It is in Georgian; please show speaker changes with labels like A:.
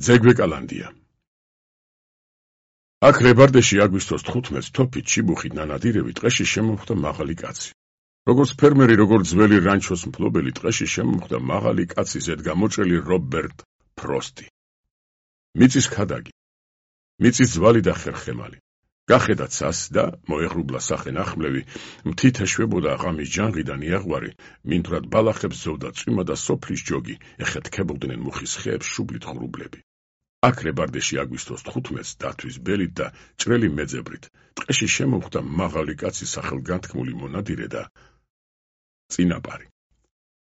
A: ძეგვეკალანდია. აქ რებარდეში აგვისტოს 15 თოფით ჩიბუხით ნანადირები ტყეში შემომხვდა მაღალი კაცი. როგორც ფერმერი, როგორც ძველი რანჩოს მფლობელი ტყეში შემომხვდა მაღალი კაცის ზედგამოჭრილი რობერტ ფროსტი. მიწის ქადაგი, მიწის ძვალი და ხერხემალი. გახედა ცას და მოეღრუბლა სახე ნახმლევი, მთით ეშვებოდა აღამის ჯანღიდან იაღვარი, მინდვრად ბალახებს ზოვდა წვიმა და სოფლის ჯოგი, ეხეთქებოდნენ მუხის ხეებს შუბლით ღრუბლები. აქ რებარდეში აგვისტოს 15 დათვის ბელით და ჭრელი მეძებრით, ტყეში შემოვხვდა მაღალი კაცის სახელგანთქმული მონადირე და წინაპარი.